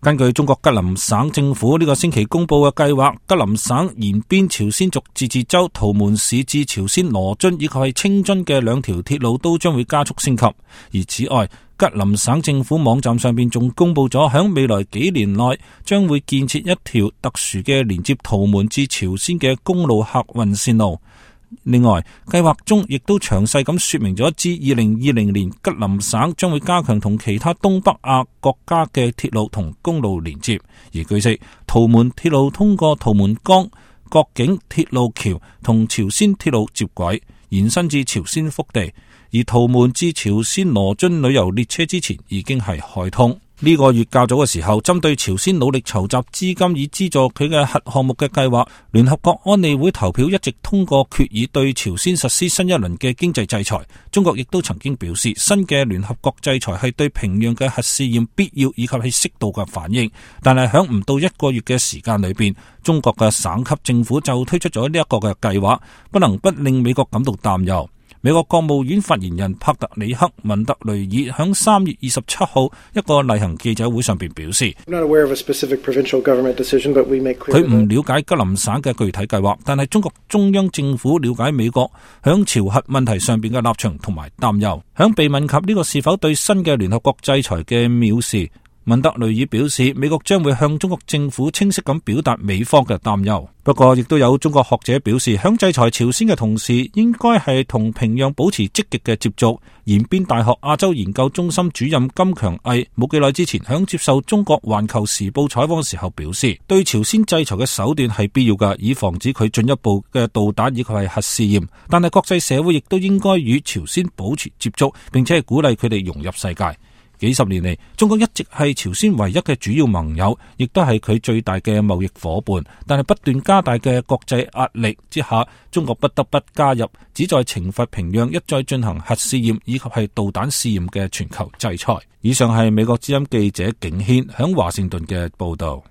根據中國吉林省政府呢個星期公布嘅計劃，吉林省延邊朝鮮族自治州圖們市至朝鮮羅津以及係清津嘅兩條鐵路都將會加速升級。而此外，吉林省政府網站上邊仲公布咗響未來幾年內將會建設一條特殊嘅連接圖們至朝鮮嘅公路客運線路。另外，計劃中亦都詳細咁說明咗，至2020年吉林省將會加強同其他東北亞國家嘅鐵路同公路連接。而據悉，圖們鐵路通過圖們江國境鐵路橋同朝鮮鐵路接軌，延伸至朝鮮腹地。而圖們至朝鮮羅津旅遊列車之前已經係開通。呢個月較早嘅時候，針對朝鮮努力籌集資金以資助佢嘅核項目嘅計劃，聯合國安理會投票一直通過決議對朝鮮實施新一輪嘅經濟制裁。中國亦都曾經表示，新嘅聯合國制裁係對平壤嘅核試驗必要以及係適度嘅反應。但係響唔到一個月嘅時間裏邊，中國嘅省級政府就推出咗呢一個嘅計劃，不能不令美國感到擔憂。美國國務院發言人帕特里克·文特雷爾響3月27號一個例行記者會上邊表示，佢唔了解吉林省嘅具體計劃，但係中國中央政府了解美國響朝核問題上邊嘅立場同埋擔憂。響被問及呢個是否對新嘅聯合國制裁嘅藐視，文特雷爾表示，美國將會向中國政府清晰咁表達美方嘅擔憂。不過，亦都有中國學者表示，響制裁朝鮮嘅同時，應該係同平壤保持積極嘅接觸。延邊大學亞洲研究中心主任金強毅冇幾耐之前響接受中國環球時報採訪嘅時候表示，對朝鮮制裁嘅手段係必要嘅，以防止佢進一步嘅導彈以及係核試驗。但係國際社會亦都應該與朝鮮保持接觸，並且係鼓勵佢哋融入世界。幾十年嚟，中國一直係朝鮮唯一嘅主要盟友，亦都係佢最大嘅貿易夥伴。但係不斷加大嘅國際壓力之下，中國不得不加入旨在懲罰平壤一再進行核試驗以及係導彈試驗嘅全球制裁。以上係美國之音記者景軒響華盛頓嘅報道。